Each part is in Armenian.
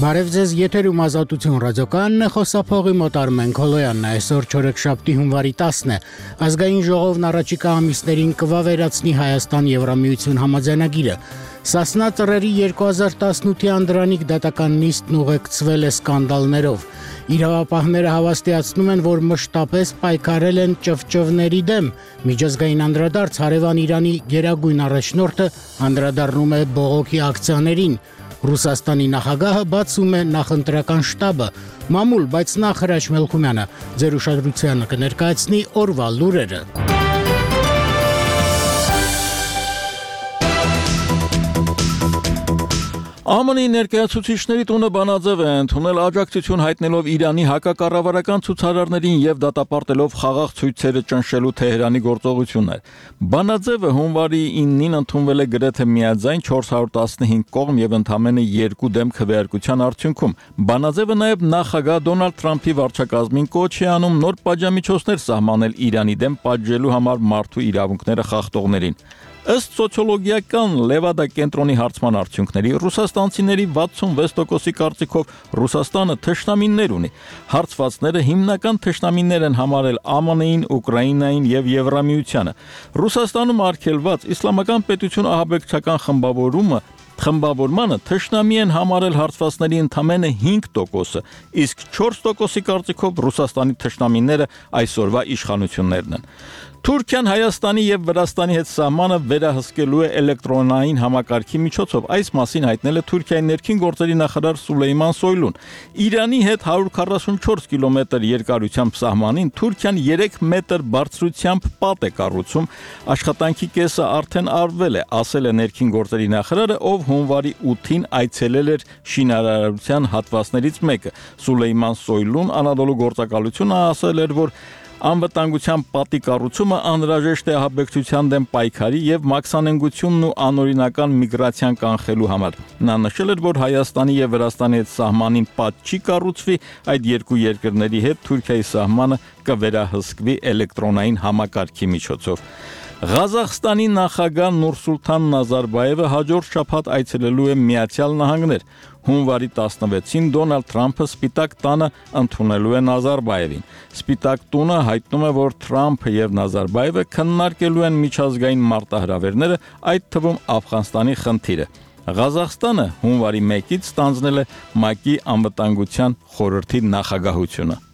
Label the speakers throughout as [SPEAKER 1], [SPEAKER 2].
[SPEAKER 1] Բարև ձեզ, եթերում Ազատություն ռադիոկայանն է, խոսափողի մոտ Արմեն Քոլոյանն է, այսօր չորեքշաբթի հունվարի 10-ն է, ազգային ժողովն առաջիկա ամիսներին կվավերացնի Հայաստան-Եվրամիություն համաձայնագիրը, Սասնա ծռերի 2018-ի անդրանիկ դատական նիստն ուղեկցվել է սկանդալներով, իրավապահները հավաստիացնում են, որ մշտապես պայքարել են ճվճվների դեմ, միջազգային անդրադարձ հարևան Իրանի գերագույն առաջնորդը անդրադառնում է բողոքի ակցիաներին, Ռուսաստանի նախագահը բացում է նախընտրական շտաբը, մամուլ, բայց նախ Հրաչ Մելքումյանը ձեր ուշադրությանը կներկայացնի օրվա լուրերը։
[SPEAKER 2] ԱՄՆ-ի ներկայացուցիչների տունը բանաձև է ընդունել աջակցություն հայտնելով Իրանի հակակառավարական ցուցարարներին եւ դատապարտելով խաղաղ ցույցերը ճնշելու Թեհրանի գործողություններ։ Բանաձևը հունվարի 9-ին ընդունվել է գրեթե միաձայն 415 կողմ եւ ընդամենը 2 դեմ քվեարկության արդյունքում։ Բանաձևը նաեւ նախագահ Դոնալդ Թրամփի վարչակազմին կոչ է անում նոր պատժամիջոցներ սահմանել Իրանի դեմ պատժելու համար մարդու իրավունքները խախտողներին։ Ըստ սոցիոլոգիական Լևադա կենտրոնի հարցման արդյունքների ռուսաստանցիների 66%-ի կարծիքով Ռուսաստանը թշնամիներ ունի։ Հարցվածները հիմնական թշնամիներ են համարել ԱՄՆ-ին, Ուկրաինային եւ Եվրամիությանը։ Ռուսաստանում արգելված իսլամական պետություն ահաբեկչական խմբավորմանը թշնամի են համարել հարցվածների ընդամենը 5%-ը, իսկ 4%-ի կարծիքով Ռուսաստանի թշնամիները այսօրվա իշխանություններն են։ Թուրքիան Հայաստանի եւ Վրաստանի հետ սահմանը վերահսկելու է էլեկտրոնային համակարգի միջոցով, այս մասին հայտնել է Թուրքիայի ներքին գործերի նախարար Սուլեյման Սոյլուն։ Իրանի հետ 144 կիլոմետր երկարությամբ սահմանին Թուրքիան 3 մետր բարձրությամբ պատ է կառուցում, աշխատանքի կեսը արդեն արվել է, ասել է ներքին գործերի նախարարը, ով հունվարի 8-ին այցելել էր շինարարության հատվածներից մեկը։ Սուլեյման Սոյլուն Անադոլու գործակալությունը ասել էր, որ անվտանգության պատի կառուցումը անհրաժեշտ է ահաբեկչության դեմ պայքարի եւ մաքսանենգությունն ու անօրինական միգրացիան կանխելու համար։ Նա նշել էր, որ Հայաստանի եւ Վրաստանի հետ սահմանին պատ չի կառուցվի, այդ երկու երկրների հետ Թուրքիայի սահմանը կվերահսկվի էլեկտրոնային համակարգի միջոցով։ Ղազախստանի նախագահ Նուրսուլթան Նազարբայևը հաջորդ շաբաթ այցելելու է Միացյալ Նահանգներ։ Հունվարի 16-ին Դոնալդ Թրամփը Սպիտակ տանը ընդունելու է Նազարբայևին։ Սպիտակ տունը հայտնում է, որ Թրամփը եւ Նազարբայևը քննարկելու են միջազգային մարտահրավերները, այդ թվում Աֆղանստանի խնդիրը։ Ղազախստանը հունվարի 1-ից ստանձնել է ՄԱԿ-ի անվտանգության խորհրդի նախագահությունը։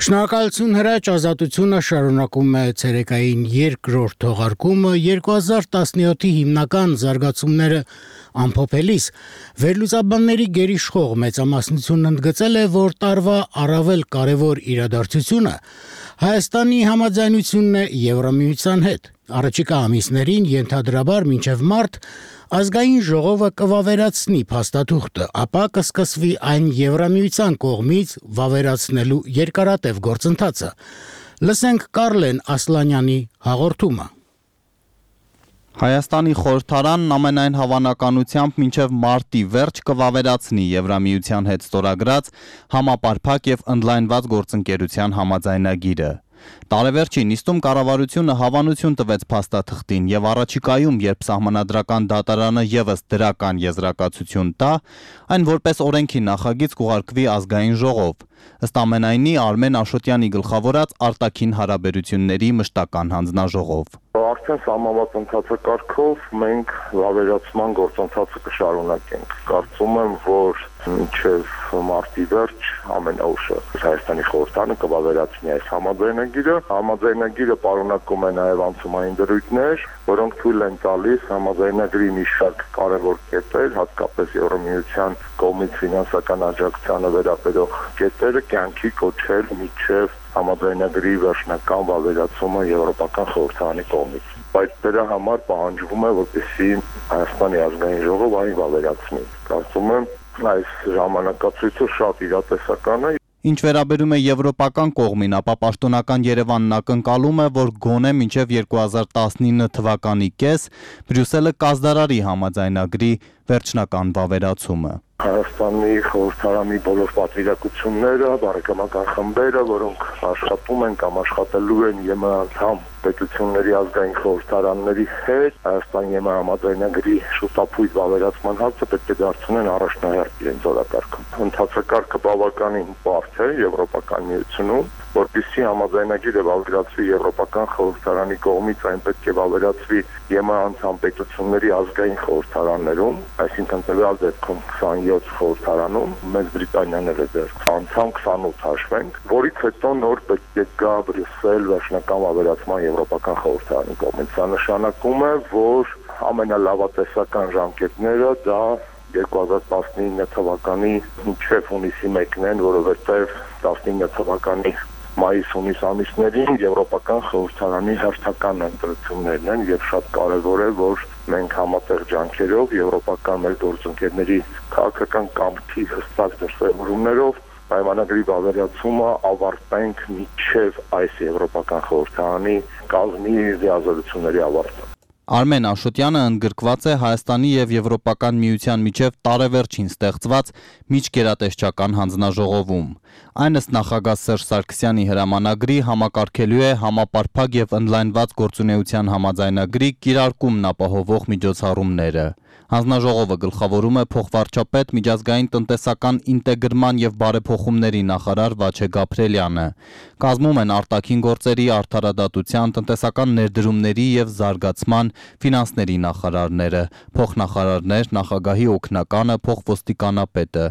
[SPEAKER 1] Շնորհակալություն Հրաչ, Ազատությունը շարունակում է ցերեկային երկրորդ թողարկումը 2017-ի հիմնական զարգացումները ամփոփելիս վերլուծաբանների գերիշխող մեծամասնությունն ընդգծել է, որ տարվա առավել կարևոր իրադարձությունը Հայաստանի համաձայնությունն է Եվրամիության հետ։ Առաջիկա ամիսներին ենթադրաբար մինչև մարտ ազգային ժողովը կվավերացնի փաստաթուղթը, ապա կսկսվի այն Եվրամիության կողմից վավերացնելու երկարատև գործընթացը։ Լսենք Կարլեն Ասլանյանի հաղորդումը։
[SPEAKER 3] Հայաստանի խորհրդարանն ամենայն հավանականությամբ մինչև մարտի վերջ կվավերացնի Եվրամիության հետ ստորագրած համապարփակ եւ ընդլայնված գործընկերության համաձայնագիրը։ Տարեվերջի նիստում կառավարությունը հավանություն տվեց փաստաթղթին եւ առաջիկայում, երբ սահմանադրական դատարանը եւս դրական եզրակացություն տա, այն որպես օրենքի նախագիծ կուղարկվի ազգային ժողով։ Ըստ ամենայնի Արմեն Աշոտյանի գլխավորած արտաքին հարաբերությունների մշտական հանձնաժողով։
[SPEAKER 4] Արդեն սահմանված ընթացակարգով մենք վավերացման գործընթացը կշարունակենք։ Կարծում եմ, որ մինչև մարտի վերջ ամենաուշը Հայաստանի խորհրդարանը կվավերացնի այս համաձայնագիրը։ Համաձայնագիրը պարունակում է նաև անցումային դրույթներ, որոնք թույլ են տալիս համաձայնագրի մի շարք կարևոր կետեր, հատկապես Եվրամիության կողմից ֆինանսական աջակցությանը վերաբերող կետերը կյանքի կոչել մինչև համաձայնագրի վերջնական վավերացումը Եվրոպական խորհրդարանի կողմից։ Բայց դրա համար պահանջվում է, որպեսզի Հայաստանի ազգային ժողովը այն վավերացնի։ Կարծում եմ, այս ժամանակացույցը շատ իրատեսական է։
[SPEAKER 3] Ինչ վերաբերում է եվրոպական կողմին, ապա պաշտոնական Երևանն ակնկալում է, որ գոնե մինչև 2019 թվականի կես Բրյուսելը կազդարարի համաձայնագրի վերջնական վավերացումը։
[SPEAKER 4] Հայաստանի խորհրդարանի բոլոր պատվիրակությունները, բարեկամական խմբերը, որոնք աշխատում են կամ աշխատելու են ԵՄ անդամ պետությունների ազգային խորհրդարանների հետ, Հայաստանի ԵՄ համաձայնագրի շուտապույտ վավերացման հարցը պետք է դարձնեն առաջնահերթ իրենց օրակարգում։ Ընթացակարգը բավականին բարդ է Եվրոպական միությունում, որպեսզի համաձայնագիրը վավերացվի Եվրոպական խորհրդարանի կողմից, այն պետք է վավերացվի ԵՄ անդամ պետությունների ազգային խորհրդարաններում, այսինքն տվյալ դեպքում 27 խորհրդարանում, Մեծ Բրիտանիան էլ է դեռ անդամ 28 հաշվենք, որից հետո նոր պետք է գա Բրյուսել վերջնական վավերացման Եվրոպական խորհրդարանի կողմից։ Սա նշանակում է, որ ամենալավատեսական ժամկետները դա 2019 թվականի մինչև հունիսի 1-ն են, որովհետև 19 թվականի մայիս-հունիս ամիսներին Եվրոպական խորհրդարանի հերթական ընտրություններն են եւ շատ կարեւոր է, որ մենք համատեղ ջանքերով եվրոպական մեր գործընկերների քաղաքական կամքի հստակ դրսևորումներով պայմանագրի վավերացումը ավարտենք մինչև այս Եվրոպական խորհրդարանի կազմի լիազորությունների ավարտը։
[SPEAKER 3] Արմեն Աշոտյանը ընդգրկված է Հայաստանի եւ Եվրոպական միության միջև տարեվերջին ստեղծված միջգերատեսչական հանձնաժողովում։ Այն ըստ նախագահ Սերժ Սարգսյանի հրամանագրի համակարգելու է համապարփակ եւ ընդլայնված գործունեության համաձայնագրի կիրարկումն ապահովող միջոցառումները։ Հանձնաժողովը գլխավորում է փոխվարչապետ միջազգային տնտեսական ինտեգրման եւ բարեփոխումների նախարար Վաչե Գաբրելյանը։ Կազմում են արտաքին գործերի, արդարադատության, տնտեսական ներդրումների եւ զարգացման, ֆինանսների նախարարները, փոխնախարարներ, նախագահի օգնականը, փոխոստիկանապետը։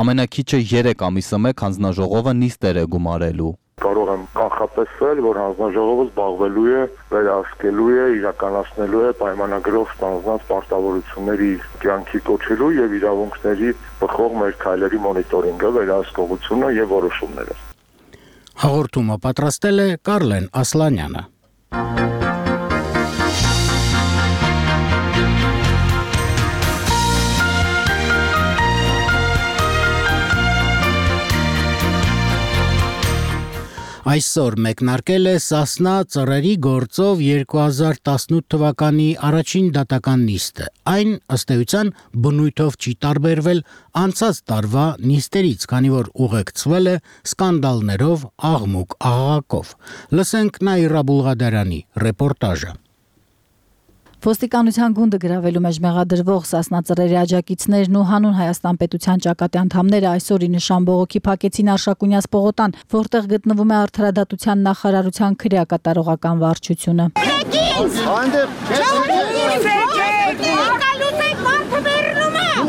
[SPEAKER 3] Ամենակիչը 3 ամիսը մեկ հանձնաժողովը նիստեր է գումարելու։
[SPEAKER 4] Կարող եմ կանխատեսել, որ հանձնաժողովը զբաղվելու է, վերահսկելու է, իրականացնելու է պայմանագրով ստանձնած պարտավորությունների կյանքի կոչելու եւ իրավունքների բխող մեր քայլերի մոնիտորինգը, վերահսկողությունը եւ որոշումները։
[SPEAKER 1] Հաղորդումը պատրաստել է Կարլեն Ասլանյանը։ Այսօր մեկնարկել է Սասնա ծռերի գործով 2018 թվականի առաջին դատական նիստը։ Այն ըստ էության բնույթով չի տարբերվել անցած տարվա նիստերից, քանի որ ուղեկցվել է սկանդալներով, աղմուկ-աղաղակով։ Լսենք Նաիրա Բուլղադարյանի ռեպորտաժը։
[SPEAKER 5] Ոստիկանության գունդը գրավելու մեջ մեղադրվող Սասնա ծռերի աջակիցներն ու հանուն Հայաստան պետության ճակատի անդամները այսօր ի նշան բողոքի փակեցին Արշակունյաց պողոտան, որտեղ գտնվում է Արդարադատության նախարարության քրեակատարողական վարչությունը։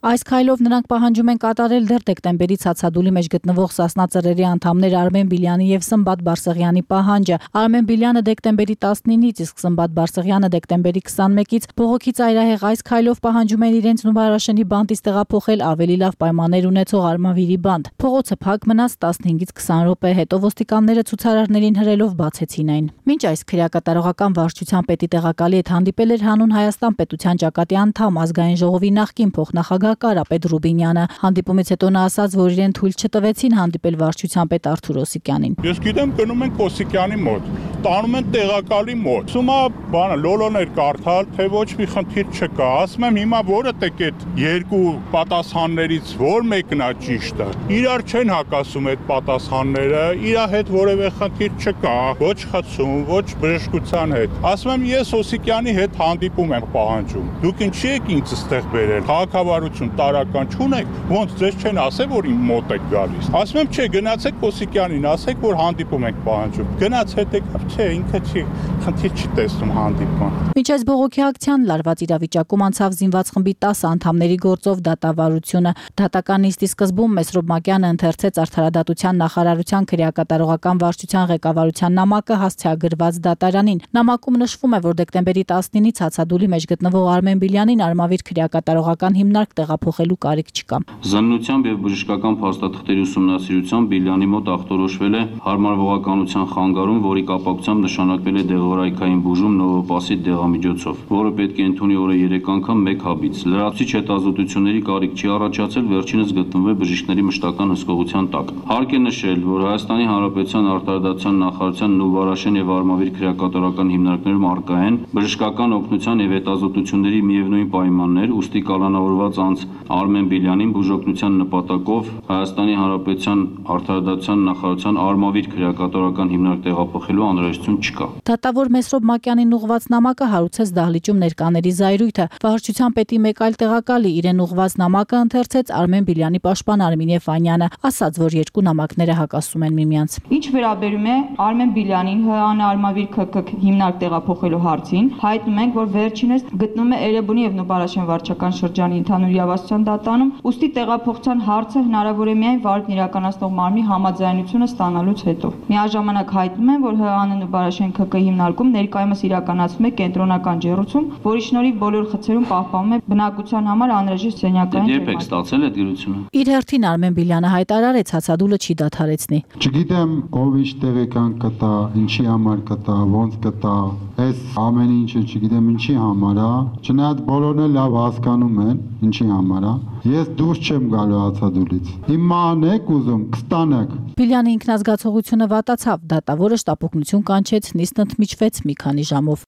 [SPEAKER 5] Այս քայլով նրանք պահանջում են կատարել դեռ դեկտեմբերից հացադուլի մեջ գտնվող Սասնա ծռերի անդամներ Արմեն Բիլյանի եւ Սմբատ Բարսեղյանի պահանջը։ Արմեն Բիլյանը դեկտեմբերի 19-ից, իսկ Սմբատ Բարսեղյանը դեկտեմբերի 21-ից բողոքի ծայրահեղ այս քայլով պահանջում են իրենց Նուբարաշենի բանտից տեղափոխել ավելի լավ պայմաններ ունեցող Արմավիրի բանտ։ Փողոցը փակ մնաց 15-ից 20 րոպե, հետո ոստիկանները ցուցարարներին հրելով բացեցին այն։ Մինչ այս քրեակատարողական վարչության պետի տեղակալի հետ հանդիպել էր հանուն Հայաստան պետության ճակատի անդամ ազգային ժողովի նախկին փոխնախագահ Կարապետ Ռուբինյանը։ Հանդիպումից հետո նա ասաց, որ իրեն թույլ չտվեցին հանդիպել վարչության պետ Արթուր Օսիկյանին։
[SPEAKER 6] Ես գիտեմ, գնում ենք Օսիկյանի մոտ, տանում են տեղակալի մոտ։ Սումա բանը լոլոներ կարդալ, թե ոչ մի խնդիր չկա։ Ասում եմ հիմա որը տեք այդ երկու պատասխաններից որ մեկն է ճիշտը։ Իրար չեն հակասում այդ պատասխանները, իր հետ որևէ խնդիր չկա, ոչ խցում, ոչ բժշկության հետ։ Ասում եմ ես Օսիկյանի հետ հանդիպում եմ պահանջում։ Դուք ինչի եք ինձ ստեղ բերել։ Քաղաքավարություն տարական չունեք, ոնց ձեզ չեն ասել, որ իմ մոտ եք գալիս։ Ասում եմ չէ, գնացեք Օսիկյանին, ասեք, որ հանդիպում եք պահանջում։ Գնաց հետ եկավ, չէ, ինքը չի, խնդիր չի տեսնում հանդիպման։
[SPEAKER 5] Մինչ այս բողոքի ակցիան լարված իրավիճակում անցավ զինված խմբի 10 անդամների գործով դատավարությունը։ Դատական նիստի սկզբում Մեսրոբ Մակյանը ընթերցեց Արդարադատության նախարարության քրեակատարողական վարչության ղեկավարության նամակը հասցեագրված դատարանին։ Նամակում նշվում է, որ դեկտեմբերի 19-ից հացադուլի մեջ գտնվող Արմեն Բիլյանին Արմավիր քրեակատարողական հիմնարկ տեղափոխելու կարիք չկա։
[SPEAKER 7] Զննությամբ եւ բժշկական փաստաթղթերի ուսումնասիրությամբ Բիլյանի մոտ ախտորոշվել է հարմարվողականության խանգարում, որի կապակցությամբ նշանակվել է դեղորայքային բուժում նովոպասիդ դեղամիջոցով, որը պետք է ընդունի օրը 3 անգամ 1 հաբից։ Լրացուցիչ հետազոտությունների կարիք չի առաջացել, վերջինս գտնվում է բժիշկների մշտական հսկողության տակ։ Հարկ է նշել, որ Հայաստանի Հանրապետության արտարդատության նախարարության Նուբարաշեն եւ Արմավիր քրեակատարական հիմնարկներում առկա են բժշկական օգնության եւ հետազոտությունների միևնույն պայմաններ, ուստի կալանավորված անձ Արմեն Բիլյանին բուժօգնության նպատակով Հայաստանի Հանրապետության արտարդատության նախարարության Արմավիր քրեակատարական հիմնարկ տեղափոխելու անհրաժեշտություն չկա։
[SPEAKER 5] Դատավոր Մեսրոբ Մակյանին ուղղված նամակը հարուցեց դահլիճում ներկաների զայրույթը։ Վարչության պետի մեկ այլ տեղակալի իրեն ուղղված նամակը ընթերցեց Արմեն Բիլյանի պաշտպան Արմինե Ֆանյանը, ասաց, որ երկու նամակները հակասում են միմյանց։
[SPEAKER 8] Ինչ վերաբերում է Արմեն Բիլյանին ՀԱՆ Արմավիր ՔՔ հիմնարկ տեղափոխելու հարցին, հայտնում ենք, որ վերջինս գտնվում է Էրեբունի եւ Նուբարաշեն վարչական շրջանի ընդհանուր իրավասության դատարանում, ուստի տեղափոխության հարցը հնարավոր է միայն վարորդն իրականացնող մարմնի համաձայնությունը ստանալուց հետո։ Միաժամանակ հայտնում են, որ ՀԱՆ Նուբարաշեն ՔՔ հիմնարկում ներկայումս իրականացվում է կենտրոնական ջեռուցում, որի շնորհիվ բոլոր խցերում պահպանվում է բնակության համար անհրաժեշտ սենյակային
[SPEAKER 7] ջերմակ։ Երբ եք ստացել այդ գրությունը։
[SPEAKER 5] Իր հերթին Արմեն Բիլյանը հայտարարեց, հացադուլը չի դադարեցնի։
[SPEAKER 9] Չգիտեմ ով ինչ տեղեկան կտա, ինչի համար կտա, ոնց կտա, այս ամեն ինչը չգիտեմ ինչի համար է, չնայած բոլորն էլ լավ հասկանում են ինչի համար է։ Ես դուրս չեմ գալու հացադուլից։ Իմ ման եք ուզում, կստանեք։
[SPEAKER 5] Բիլյանի ինքնազգացողությունը վատացավ, դատավորը շտապօգնություն կանչեց, նիստն ընդմիջվեց մի քանի ժամով։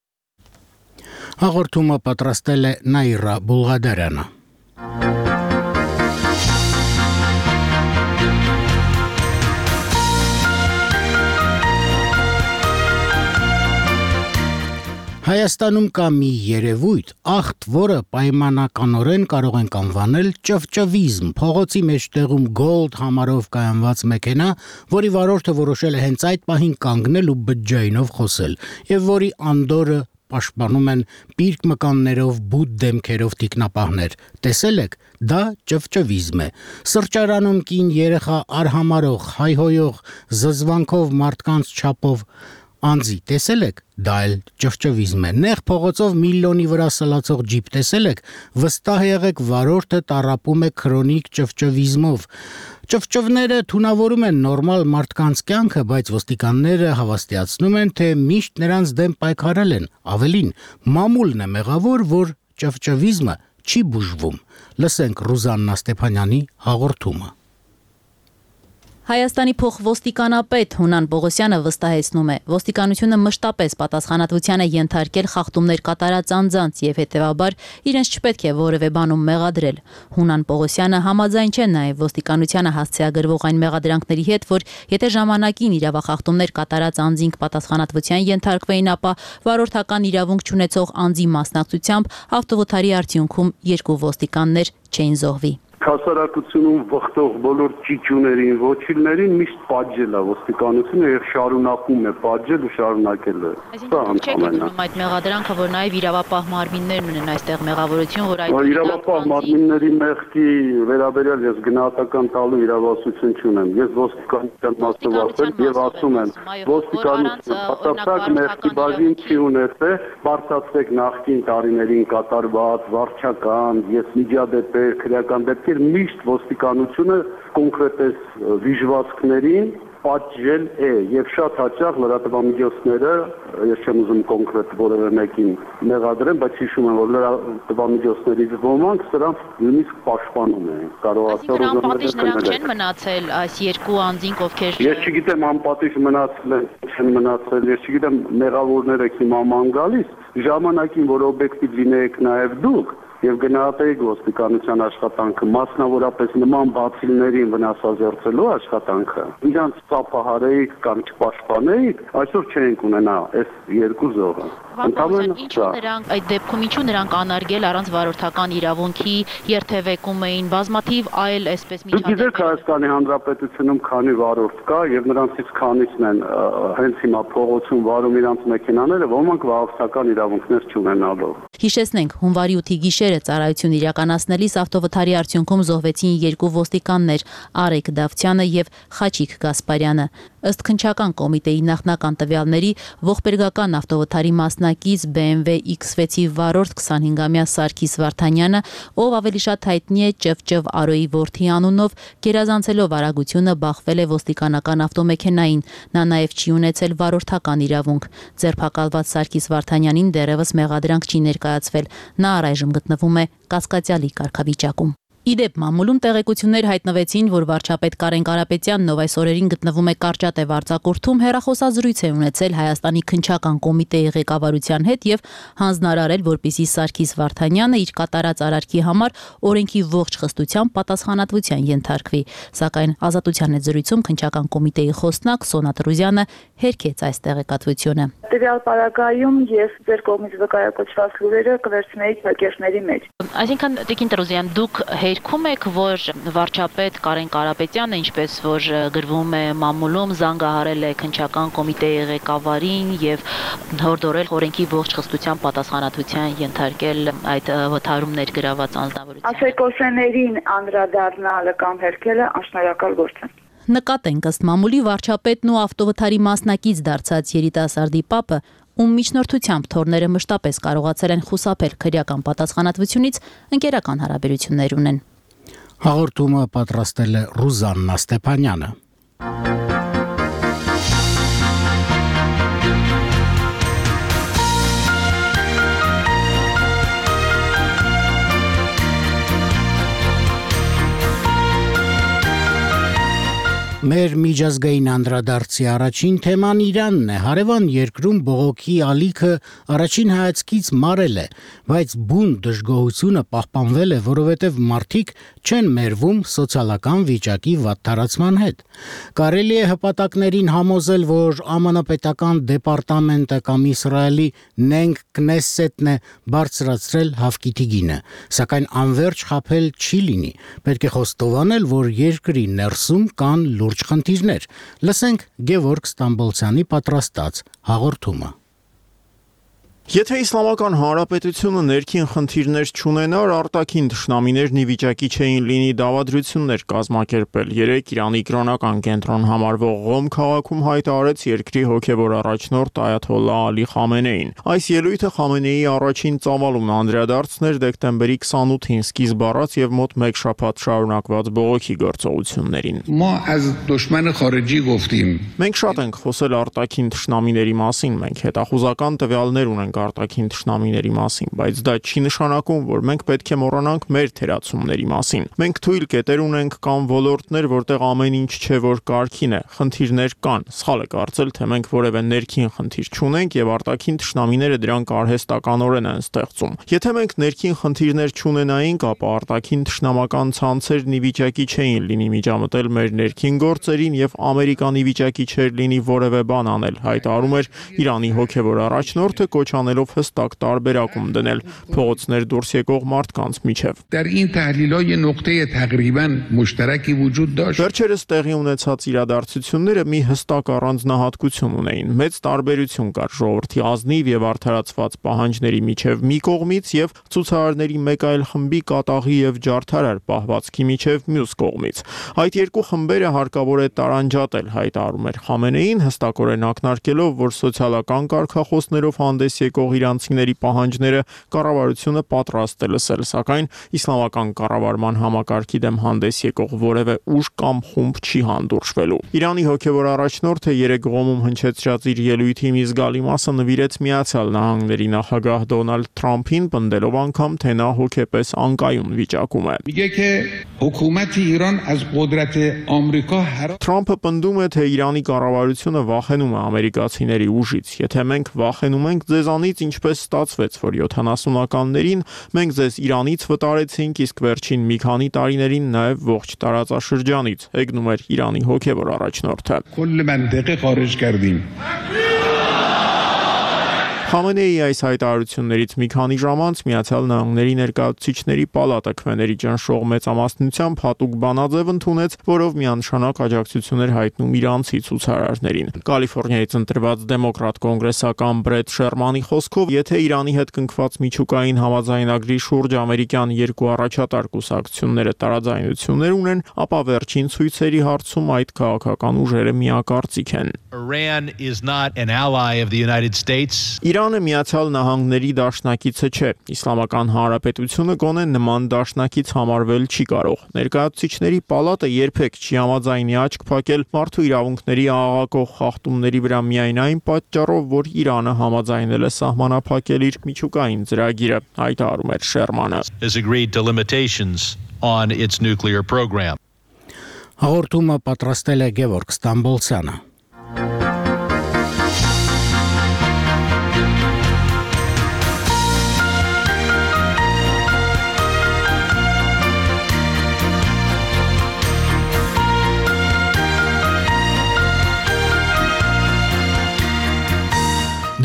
[SPEAKER 1] Հաղորդումը պատրաստել է Նաիրա Բուլղադարյանը։ Հայաստանում կա մի երևույթ, աղտ, որը պայմանականորեն կարող ենք անվանել ճվճվիզմ, փողոցի մեջտեղում գոլդ համարով կայանված մեքենա, որի վարորդը որոշել է հենց այդ պահին կանգնել ու բջջայինով խոսել, եւ որի անդորը պաշտպանում են պիրկ մկաններով, բութ դեմքերով տիկնապահներ։ Տեսել եք, դա ճվճվիզմ է։ Սրճարանում կին երեխա արհամարող, հայհոյող, զզվանքով մարդկանց չափով անձի տեսել եք, դա էլ ճվճվիզմ է։ Նեղ փողոցով միլիոնի վրա սլացող ջիպ տեսել եք, վստահ եղեք, վարորդը տառապում է քրոնիկ ճվճվիզմով։ Ճվճվները թունավորում են նորմալ մարդկանց կյանքը, բայց ոստիկանները հավաստիացնում են, թե միշտ նրանց դեմ պայքարել են։ Ավելին, մամուլն է մեղավոր, որ ճվճվիզմը չի բուժվում։ Լսենք Ռուզաննա Ստեփանյանի հաղորդումը։
[SPEAKER 10] Հայաստանի փոխոստիկանապետ Հունան Պողոսյանը վստահեցնում է, ոստիկանությունը մշտապես պատասխանատվության է ենթարկել խախտումներ կատարած անձանց եւ հետեւաբար իրենց չպետք է որևէ բանում մեղադրել։ Հունան Պողոսյանը համաձայն չէ նաեւ ոստիկանությանը հասցեագրվող այն մեղադրանքների հետ, որ եթե ժամանակին իրավախախտումներ կատարած անձինք պատասխանատվության ենթարկվեին, ապա վարորդական իրավունք չունեցող անձի մասնակցությամբ ավտովթարի արդյունքում 2 ոստիկաններ չէին զոհվի։
[SPEAKER 11] Հասարակությունում վխտող բոլոր ճիճուներին, ոչիլներին միշտ պատժել է ոստիկանությունը եւ շարունակում է պատժել ու շարունակել է։
[SPEAKER 10] Այսինքն այդ մեղադրանքը, որ նաեւ իրավապահ մարմիններն ունեն այստեղ մեղավորություն, որ այդ
[SPEAKER 11] իրավապահ մարմինների մեղքի վերաբերյալ ես գնահատական տալու իրավասություն չունեմ։ Ես ոստիկանության մասնավորել եւ ասում եմ, ոստիկանությունը պատասխան մեղքի բաժին չի ունեցել, բարձրացրեք նախկին տարիներին կատարված վարչական, ես միջադեպեր, քրեական դեպքեր միշտ ոստիկանությունը կոնկրետ վիժվածքներին պատժել է եւ շատ հաճախ լրատվամիջոցները, ես չեմ ուզում կոնկրետ որևէ մեկին մեղադրեմ, բայց հիշում եմ, որ լրատվամիջոցներից ոմանք սրանց նույնիսկ պաշտպանում են, կարող ասել
[SPEAKER 10] անպատիժ նրանք չեն մնացել այս 2 անձինք, ովքեր
[SPEAKER 11] Ես չգիտեմ անպատիժ մնացել են, չեն մնացել, ես չգիտեմ մեղավորները հիմա ման գալիս, ժամանակին որ օբյեկտիվ լինեիք նաեւ դուք եւ գնահատեիք ոստիկանության աշխատանքը, մասնավորապես նման բացիլներին վնասազերծելու աշխատանքը, իրանց ծափահարեիք կամ չպաշտպանեիք, այսօր չենք ունենա այս 2 զոհը։
[SPEAKER 10] Ինչու նրանք այդ դեպքում ինչու նրանք անարգել առանց վարորդական իրավունքի երթևեկում էին բազմաթիվ այլ այսպես
[SPEAKER 11] միջադեպեր։ Դուք գիտեք Հայաստանի Հանրապետությունում քանի վարորդ կա եւ նրանցից քանիսն են հենց հիմա փողոցում վարում իրանց մեքենաները, ոմանք վարորդական իրավունքներ չունենալով։
[SPEAKER 10] Հիշեցնենք, հունվարի 8-ի գիշերը ծառայություն իրականացնելիս ավտովթարի արդյունքում զոհվեցին 2 ոստիկաններ՝ Արեգ Դավթյանը եւ Խաչիկ Գասպարյանը։ Ըստ քննչական կոմիտեի նախնական տվյալների, ողբերգական ավտովթարի մասնակից BMW X6-ի վարորդ 25-ամյա Սարգիս Վարդանյանը, ով ավելի շատ հայտնի է Ճվճվ Արոյի որդի անունով, գերազանցելով արագությունը բախվել է ոստիկանական ավտոմեքենային։ Նա նաեւ չի ունեցել վարորդական իրավունք։ Ձերբակալված Սարգիս Վարդանյանին դեռևս մեղադրանք չի ներկայացվել։ Նա առայժմ գտնվում է կասկածյալի կարգավիճակում։ Իդեպ մամուլում տեղեկություններ հայտնվեցին, որ վարչապետ Կարեն Կարապետյանն, ով այս օրերին գտնվում է Կարճատև արձակուրդում, հեռախոսազրույց է ունեցել Հայաստանի քննչական կոմիտեի ղեկավարության հետ եւ հանձնարարել, որպեսզի Սարգիս Վարդանյանը իր կատարած արարքի համար օրենքի ողջ խստությամբ պատասխանատվության ենթարկվի։ Սակայն Ազատության հետ զրույցում քննչական կոմիտեի խոսնակ Սոնա Տրուզյանը հերքեց այս տեղեկատվությունը։
[SPEAKER 12] Տվյալ պարագայում ես ձեր կողմից վկայակոչված լուրերը կվերցնեի հակերտների մեջ։
[SPEAKER 10] Այսինքն, Տիկին Տրուզյան, դուք հերքում եք, որ վարչապետ Կարեն Կարապետյանը, ինչպես որ գրվում է մամուլում, զանգահարել է քննչական կոմիտեի ղեկավարին եւ հորդորել օրենքի ողջ խստությամբ պատասխանատվության ենթարկել այդ վթարումներ գրաված անձնավորին։
[SPEAKER 12] Ասեկոսեներին անդրադառնալը կամ հերքելը անշնորհակալ գործ է։
[SPEAKER 10] Նկատենք, ըստ մամուլի վարչապետն ու ավտովթարի մասնակից դարձած երիտասարդի պապը, ում միջնորդությամբ թորները մշտապես կարողացել են խուսափել քրեական պատասխանատվությունից, ընկերական հարաբերություններ ունեն։
[SPEAKER 1] Հաղորդումը պատրաստել է Ռուզաննա Ստեփանյանը։ Մեր միջազգային անդրադարձի առաջին թեման Իրանն է։ Հարևան երկրում բողոքի ալիքը առաջին հայացքից մարել է, բայց բուն դժգոհությունը պահպանվել է, որովհետև մարդիկ չեն մերվում սոցիալական վիճակի վատթարացման հետ։ Կարելի է հպատակներին համոզել, որ ԱՄՆ պետական դեպարտամենտը կամ Իսրայելի Նենք Քնեսեթն է բարձրացրել հավկիթի գինը, սակայն անverջ խաբել չի լինի։ Պետք է խոստովանել, որ երկրի ներսում կան լուրջ խնդիրներ։ Լսենք Գևորգ Ստամբոլցյանի պատրաստած հաղորդումը։
[SPEAKER 13] Եթե Իսլամական Հանրապետությունը ներքին խնդիրներ չունենար, արտաքին թշնամիներն ի վիճակի չէին լինի դավադրություններ կազմակերպել։ Երեկ Իրանի կրոնական կենտրոն համարվող Ղոմ քաղաքում հայտարարեց երկրի հոգևոր առաջնորդ Այաթոլլահ Ալի Խամենեին։ Այս ելույթը Խամենեիի առաջին ծավալումն անդրադարձներ դեկտեմբերի 28-ին սկիզբ առած եւ մոտ 1 շաբաթ շարունակված բողոքի գործողություններին։ Մենք շատ ենք խոսել արտաքին թշնամիների մասին, մենք հետախուզական տվյալներ ունենք արտաքին թշնամիների մասին, բայց դա չի նշանակում, որ մենք պետք է մոռանանք մեր թերացումների մասին։ Մենք թույլ կետեր ունենք կամ ոլորտներ, որտեղ ամեն ինչ չէ, որ կարգին է, խնդիրներ կան։ Սխալ է կարծել, թե մենք որևէ ներքին խնդիր չունենք եւ արտաքին թշնամիները դրանք արհեստականորեն են ստեղծում։ Եթե մենք ներքին խնդիրներ չունենայինք, ապա արտաքին թշնամական ցանցերն ի վիճակի չէին լինի միջամտել մեր ներքին գործերին եւ Ամերիկան ի վիճակի չէր լինի որևէ բան անել, հայտարարում էր Իրանի հոգևոր առաջնորդը, կոչ անելով հստակ տարբերակում դնել փողոցներ դուրս եկող մարդկանց միջև։ Վերջերս տեղի ունեցած իրադարձությունները մի հստակ առանձնահատկություն ունեին։ Մեծ տարբերություն կար ժողովրդի ազնիվ եւ արդարացված պահանջների միջև մի կողմից եւ ցուցարարների մեկ այլ խմբի կատաղի եւ ջարդարար պահվածքի միջև մյուս կողմից։ Այդ երկու խմբերը հարկավոր է տարանջատել, հայտարարում էր Խամենեին, հստակորեն ակնարկելով, որ սոցիալական կարգախոսներով հանդես եկող իրանցիների պահանջները կառավարությունը պատրաստ է լսել, սակայն իսլամական կառավարման համակարգի դեմ հանդես եկող որևէ ուժ կամ խումբ չի հանդուրժվելու։ Իրանի հոգևոր առաջնորդը երեկ Ղոմում հնչեցրած իր ելույթի մի զգալի մասը նվիրեց Միացյալ Նահանգների նախագահ Դոնալդ Թրամփին, պնդելով անգամ, թե նա հոգեպես անկայուն վիճակում է։ Թրամփը պնդում է, թե Իրանի կառավարությունը վախենում է ամերիկացիների ուժից։ Եթե մենք վախենում ենք ձեզանից, ինչպես ստացվեց, որ 70-ականներին մենք ձեզ Իրանից վտարեցինք, իսկ վերջին մի քանի տարիներին նաև ողջ տարածաշրջանից, հեգնում էր Իրանի հոգևոր առաջնորդը։ Խամենեիի այս հայտարարություններից մի քանի ժամ անց Միացյալ Նահանգների ներկայացուցիչների պալատը քվեների ճնշող մեծամասնությամբ հատուկ բանաձև ընդունեց, որով միանշանակ աջակցություն էր հայտնում իրանցի ցուցարարներին։ Կալիֆոռնիայից ընտրված դեմոկրատ կոնգրեսական Բրեդ Շերմանի խոսքով, եթե Իրանի հետ կնքված միջուկային համաձայնագրի շուրջ ամերիկյան երկու առաջատար կուսակցությունները տարաձայնություններ ունեն, ապա վերջին ցույցերի հարցում այդ քաղաքական ուժերը միակարծիք են։
[SPEAKER 14] Iran is not an ally of the United States.
[SPEAKER 13] Իրանը Միացյալ Նահանգների դաշնակիցը չէ։ Իսլամական Հանրապետությունը գոնե նման դաշնակից համարվել չի կարող։ Ներկայացուցիչների պալատը երբեք չի համաձայնի աչք փակել մարդու իրավունքների աղաղակող խախտումների վրա միայն այն պատճառով, որ Իրանը համաձայնել է սահմանափակել իր միջուկային ծրագիրը, հայտարարում էր Շերմանը։
[SPEAKER 14] Has agreed to limitations on its nuclear program.
[SPEAKER 1] Հաղորդումը պատրաստել է Գևորգ Ստամբոլցյանը։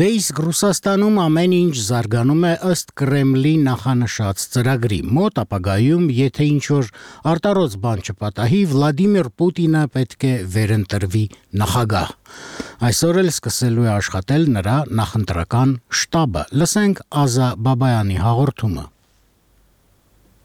[SPEAKER 1] Դե իսկ Ռուսաստանում ամեն ինչ զարգանում է ըստ Կրեմլի նախանշած ծրագրի։ Մոտ ապագայում, եթե ինչ-որ արտարոց բան չպատահի, Վլադիմիր Պուտինը պետք է վերընտրվի նախագահ։ Այսօր էլ սկսելու է աշխատել նրա նախընտրական շտաբը։ Լսենք Ազա Բաբայանի հաղորդումը։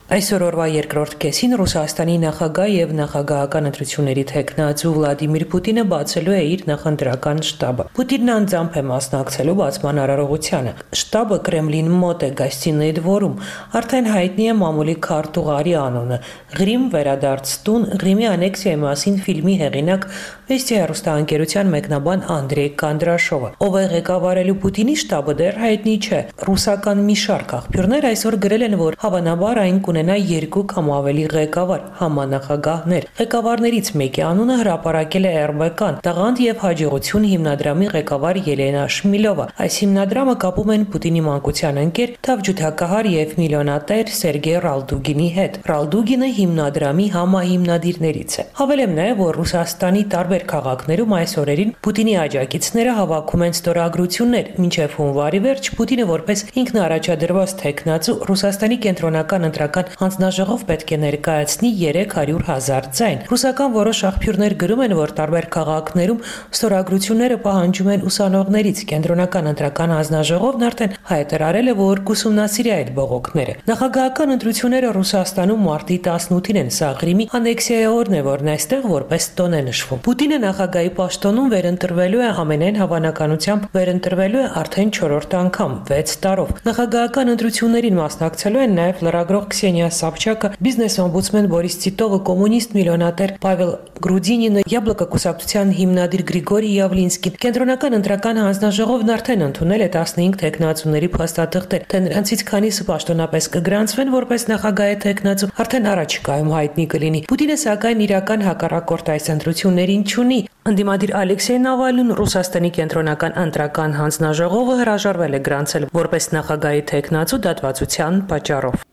[SPEAKER 15] Այսօր օրվա երկրորդ կեսին Ռուսաստանի նախագահ եւ նախագահական ընտրությունների թեկնածու Վլադիմիր Պուտինը բացելու է իր նախընտրական շտաբը։ Պուտինն անձամբ է մասնակցելու բացման արարողությանը։ Շտաբը Կրեմլին մոտ է Գոստինոյի դվորում։ Արդեն հայտնի է մամուլի քարտուղարի անունը։ Ղրիմ վերադարձ տուն, Ղրիմի անեքսիայի մասին ֆիլմի հեղինակ Վեստի հեռուստաընկերության մեկնաբան Անդրեյ Կանդրաշովը, ով է ղեկավարելու Պուտինի շտաբը, դեռ հայտնի չէ։ Ռուսական մի շարք աղբյուրներ այսօր գրել են, որ հավանաբար այն կունենա 2 կամ ավելի ղեկավար համանախագահներ։ Ղեկավարներից մեկի անունը հրապարակել է RBK-ն, Տաղանդ եւ հաջողություն հիմնադրամի ղեկավար Ելենա Շմիլովը։ Այս հիմնադրամը կապում են Պուտինի մանկության ընկեր, թավջութակահար եւ միլիոնատեր Սերգեյ Ռալդուգինի հետ։ Ռալդուգինը հիմնադրամի համահիմնադիրներից է։ Հավելեմ նաեւ, որ Ռուսաստանի տարբեր քաղաքներում այս օրերին Պուտինի աջակիցները հավաքում են ստորագրություններ։ Մինչև հունվարի վերջ Պուտինը որպես ինքնաառաջադրված թեկնածու Ռուսաստանի կենտրոնական ընտրական հանձնաժողով պետք է ներկայացնի 300,000 ձայն։ Ռուսական որոշ աղբյուրներ գրում են, որ տարբեր քաղաքներում ստորագրությունները պահանջում են ուսանողներից։ Կենտրոնական ընտրական հանձնաժողովն արդեն հայտարարել է, որ կուսումնասիրի այդ բողոքները։ Նախագահական ընտրությունները Ռուսաստանում մարտի 18-ին են։ Սա Ղրիմի անեքսիայի օրն է, որն այստեղ որպես տոն է նշվում։ Պուտինը նախագահի պաշտոնում վերընտրվելու է ամենայն հավանականությամբ վերընտրվելու է արդեն 4-րդ անգամ 6 տարով։ Նախագահական ընտրություններին մասնակցելու են նաև լրագրող Քսենիա Սաբչակը, բիզնես օմբուդսմեն Բորիս Տիտովը, կոմունիստ միլիոնատեր Պավել Գրուդինինը, Յաբլոկա կուսակցության հիմնադիր Գրիգորի Յավլինսկին։ Կենտրոնական ընտրական հանձնաժողովն արդեն ընդունել է 15 թեկնածուների փաստաթղթեր, թե նրանցից քանիսը պաշտոնապես կգրանցվեն որպես նախագահի թեկնածու, արդեն առաջիկայում հայտնի կլինի։ Պուտինը սակայն իրական հակառակորդ այս ընտրություններին չունի։ Ընդդիմադիր Ալեքսեյ Նավալնին Ռուսաստանի կենտրոնական ընտրական հանձնաժողովը հրաժարվել է գրանցել որպես նախագահի թեկնածու դատվածության պատճառով։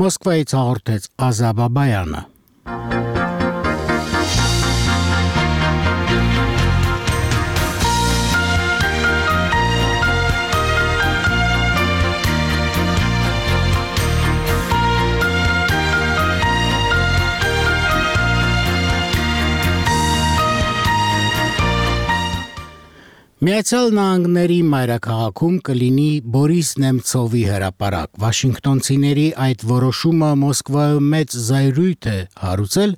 [SPEAKER 1] Մոսկվայից հաղորդեց Ազա Բաբայանը։ Միացյալ Նահանգների մայրաքաղաքում կլինի Բորիս Նեմցովի հրապարակ։ Վաշինգտոնցիների այդ որոշումը Մոսկվայում մեծ զայրույթ է հարուցել։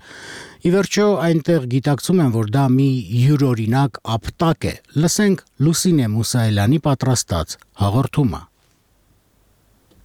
[SPEAKER 1] Ի վերջո այնտեղ գիտակցում են, որ դա մի յուրօրինակ ապտակ է։ Լսենք Լուսինե Մուսայելյանի պատրաստած հաղորդումը։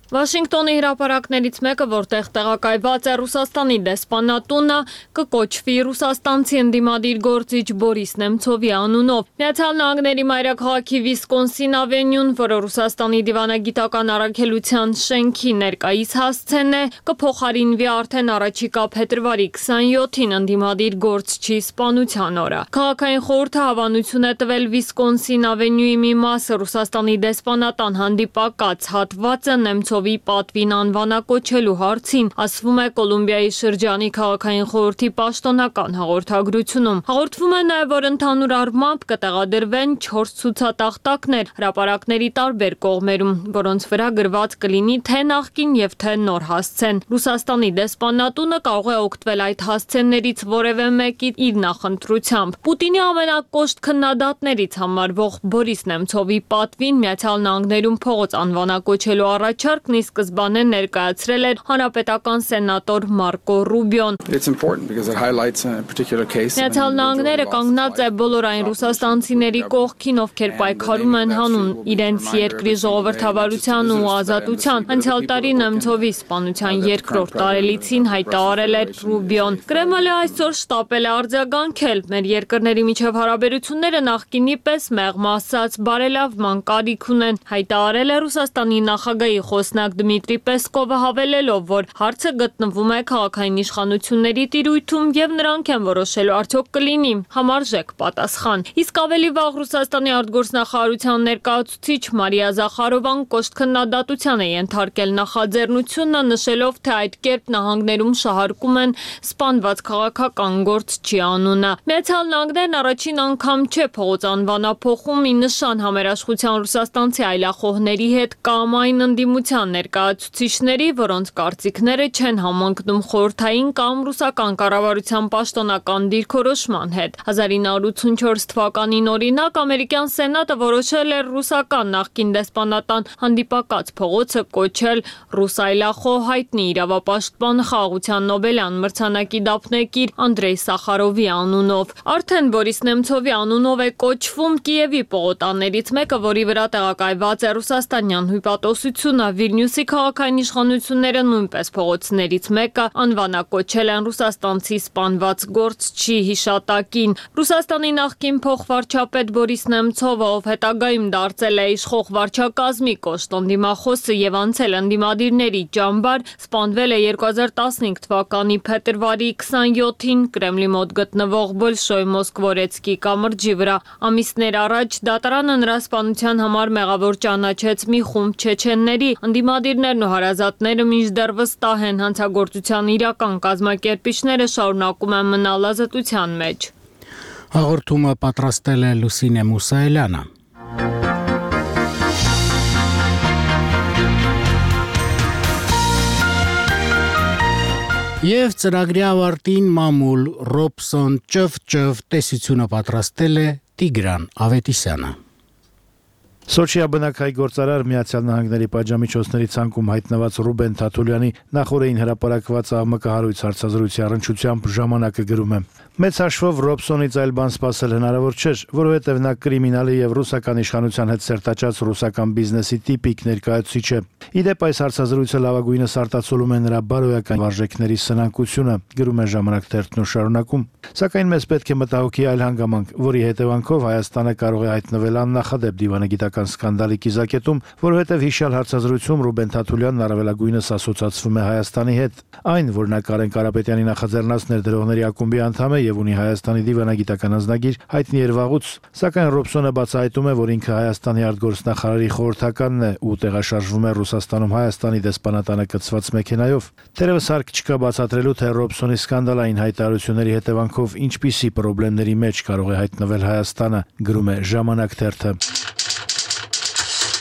[SPEAKER 16] Վաշինգտոնի հրապարակներից մեկը, որտեղ տեղակայված է Ռուսաստանի դեսպանատունը, կկոչվի ռուսաստանցի ընդդիմադիր գործիչ Բորիս Նեմցովի անունով։ Միացյալ Նահանգների մայրաքաղաքի Վիսկոնսին ավենյուն, որը Ռուսաստանի դիվանագիտական առաքելության շենքի ներկայիս հասցեն է, կփոխարինվի արդեն առաջիկա փետրվարի 27-ին ընդդիմադիր գործչի սպանության օրը։ Քաղաքային խորհուրդը հավանություն է տվել Վիսկոնսին ավենյուի մի մասը Ռուսաստանի դեսպանատան հանդիպակաց հատվածը Նեմցովի ցովի պատվին անվանակոչելու հարցին, ասվում է Կոլումբիայի շրջանի քաղաքային խորհրդի պաշտոնական հաղորդագրությունում։ Հաղորդվում է նաև, որ ընդհանուր առմամբ կտեղադրվեն 4 ցուցատախտակներ հրապարակների տարբեր կողմերում, որոնց վրա գրված կլինի թե նախկին եւ թե նոր հասցեն։ Ռուսաստանի դեսպանատունը կարող է օգտվել այդ հասցեններից որևէ մեկի իր նախընտրությամբ։ Պուտինի ամենակոշտ քննադատներից համարվող Բորիս Նեմցովի պատվին Միացյալ Նահանգներում փողոց անվանակոչելու առաջարկն ի սկզբանե ներկայացրել էր հանրապետական սենատոր Մարկո Ռուբիոն։ Միացյալ Նահանգները կանգնած է բոլոր այն ռուսաստանցիների կողքին, ովքեր պայքարում են հանուն իրենց երկրի ժողովրդավարության ու ազատության։ Անցյալ տարի Նեմցովի սպանության երկրորդ տարելիցին հայտարարել էր Ռուբիոն։ Կրեմլը այսօր շտապել է արձագանքել։ Մեր երկրների միջև հարաբերությունները նախկինի պես մեղմ ասած բարելավման կարիք ունեն, հայտարարել է Ռուսաստանի նախագահի խոսնակ Դմիտրի Պեսկովը, հավելելով, որ հարցը գտնվում է քաղաքային իշխանությունների տիրույթում եւ նրանք են որոշելու արդյոք կլինի համարժեք պատասխան։ Իսկ ավելի վաղ Ռուսաստանի արտգործնախարարության ներկայացուցիչ Մարիա Զախարովան կոշտ քննադատության է ենթարկել նախաձեռնությունը, նշելով, թե այդ կերպ նահանգներում շահարկում են սպանված քաղաքական գործչի անունը։ Միացյալ Նահանգներն առաջին անգամ չէ փողոց անվանափոխում ի նշան համերաշխության ռուսաստանցի այլախոհների հետ կամ այն ընդդիմության ներկայացուցիչների, որոնց կարծիքները չեն համընկնում խորհրդային կամ ռուսական կառավարության պաշտոնական դիրքորոշման հետ։ 1984 թվականին օրինակ ամերիկյան սենատը որոշել էր ռուսական նախկին դեսպանատան հանդիպակաց փողոցը կոչել ռուս այլախոհ հայտնի իրավապաշտպան խաղաղության Նոբելյան մրցանակի դափնեկիր Անդրեյ Սախարովի անունով։ Արդեն Բորիս Նեմցովի անունով է կոչվում Կիևի պողոտաներից մեկը, որի վրա տեղակայված է ռուսաստանյան հյուպատոսությունը։ Վիլնյուսի քաղաքային իշխանությունները նույնպես փողոցներից մեկը անվանակոչել են ռուսաստանցի սպանված գործչի հիշատակին։ Ռուսաստանի նախկին փոխվարչապետ Բորիս Նեմցովը, ով հետագայում դարձել է իշխող վարչակազմի կոշտ ընդդիմախոսը եւ անցել ընդդիմադիրների ճամբար, սպանվել է 2015 թվականի փետրվարի 27-ին Կրեմլի մոտ գտնվող Բոլշոյ Մոսկվորեցկի կամրջի վրա։ Ամիսներ առաջ դատարանը նրա սպանության համար մեղավոր ճանաչեց մի խումբ չեչենների։ Ընդդիմադիրներն ու հարազատները մինչդեռ վստահ են, հանցագործության իրական կազմակերպիչները շարունակում են մնալ ազատության մեջ։
[SPEAKER 1] Հաղորդումը պատրաստել է Լուսինե Մուսայելյանը։ Եվ ծրագրի ավարտին մամուլ Ռոբսոն ճվ տեսությունը պատրաստել է Տիգրան Ավետիսյանը։
[SPEAKER 17] Սոչիա բնակայի գործարար Միացյալ Նահանգների պատժամիջոցների ցանկում հայտնված Ռուբեն Թաթուլյանի նախորդին հրապարակված աղմկահարույց հարցազրույցի առնչությամբ ժամանակը գրում է. Մեծ հաշվով Ռոբսոնից այլ բան սպասել հնարավոր չէր, որովհետև նա կրիմինալի եւ ռուսական իշխանության հետ սերտաճած ռուսական բիզնեսի տիպիկ ներկայացուցիչ է։ Իդեպ այս հարցազրույցը լավագույնս արտացոլում է նրա բարոյական վարժեքների սնանկությունը, գրում է Ժամանակ թերթն ու շարունակում։ Սակայն մեզ պետք է մտահոգի այլ հանգամանք, որի հետևանքով Հայաստանը կարող է հայտնվել աննախադեպ դիվանագիտական սկանդալի կիզակետում, որովհետև հիշյալ հարցազրույցում Ռուբեն Թաթուլյանն առավելագույնս ասոցացվում է Հայաստանի հետ։ Այն, որ նա Կարեն Կարապետյանի նախաձեռնած ներդրողների ակումբի անդամ է եւ ունի Հայաստանի դիվանագիտական անձնագիր, հայտնի էր վաղուց, սակայն Ռոբսոնը բացահայտում է, որ ինքը Հայաստանի արտգործնախարարի խորհրդականն է ու տեղաշարժվում է Ռուսաստանում Հայաստանի դեսպանատանը կցված մեքենայով։ Թերևս հարկ չկա բացատրելու, թե Ռոբսոնի սկանդալային հայտարարությունների հետևանքով ինչպիսի խնդիրների մեջ կարող է հայտնվել Հայաստանը, գրում է Ժամանակ թերթը։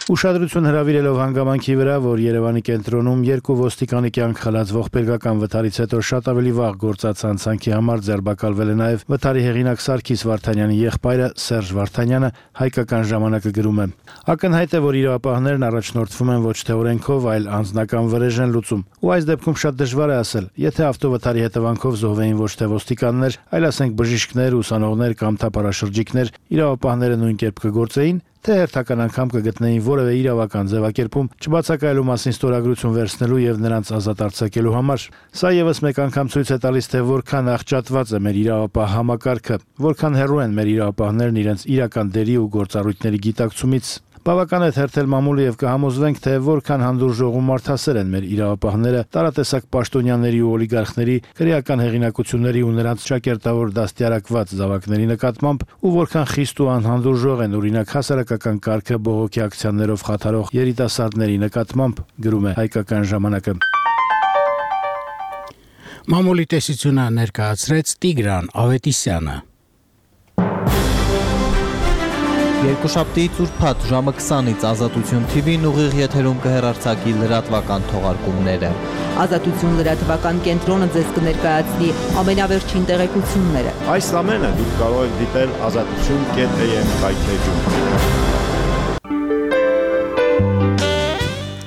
[SPEAKER 17] Ուշադրություն հրավիրելով հանգամանքի վրա, որ Երևանի կենտրոնում երկու ոստիկանի կյանք խլած ողբերգական վթարից հետո շատ ավելի վաղ գործած հանցանքի համար ձերբակալվել է նաև վթարի հեղինակ Սարգիս Վարդանյանի եղբայրը Սերժ Վարդանյանը, հայկական ժամանակը գրում է. Ակնհայտ է, որ իրավապահներն առաջնորդվում են ոչ թե օրենքով, այլ անձնական վրեժ են լուծում։ Ու այս դեպքում շատ դժվար է ասել, եթե ավտովթարի հետևանքով զոհվեին ոչ թե ոստիկաններ, այլ ասենք բժիշկներ, ուսանողներ կամ թափառաշրջիկներ, իրավապահները նույն կերպ կգործեին, թե հերթական անգամ կգտնեին որևէ իրավական ձևակերպում չբացակայելու մասին ստորագրություն վերցնելու եւ նրանց ազատ արձակելու համար։ Սա եւս մեկ անգամ ցույց է տալիս, թե որքան աղճատված է մեր իրավապահ համակարգը, որքան հեռու են մեր իրավապահներն իրենց իրական դերի ու գործառույթների գիտակցումից։ Բավական է թերթել մամուլը եւ կհամոզվենք, թե որքան հանդուրժողում մարդասեր են մեր իրավապահները, տարատեսակ պաշտոնյաների ու օլիգարխների, քրեական հեղինակությունների ու նրանց ճակերտավոր դաստիարակված զավակների նկատմամբ ու որքան խիստ ու անհանդուրժող են օրինակ հասարակական կարգը բողոքի ակցիաներով խաթարող երիտասարդների նկատմամբ, գրում է Հայկական ժամանակը։
[SPEAKER 1] Մամուլի տեսությունը ներկայացրեց Տիգրան Ավետիսյանը։
[SPEAKER 3] Երկուշաբթի ծուրփաթ ժամը 20-ից Ազատություն TV-ն ուղիղ եթերում կհեռարձակի լրատվական թողարկումները։
[SPEAKER 18] Ազատություն լրատվական կենտրոնը ձեզ կներկայացնի ամենավերջին տեղեկությունները։
[SPEAKER 19] Այս ամենը դուք կարող եք դիտել azatutun.am կայքեջում։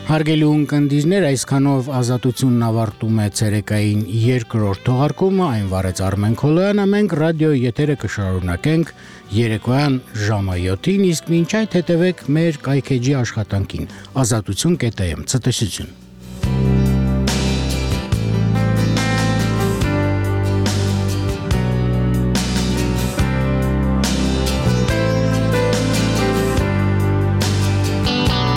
[SPEAKER 1] Հարգելի ունկնդիրներ, այսքանով Ազատությունն ավարտում է ցերեկային երկրորդ թողարկումը, այն վարեց Արմեն Քոլոյանը, մենք ռադիոյի եթերը կշարունակենք երեկոյան ժամը 7-ին, իսկ մինչ այդ հետևեք մեր կայքեջի աշխատանքին, azatutun.am, ցտեսություն։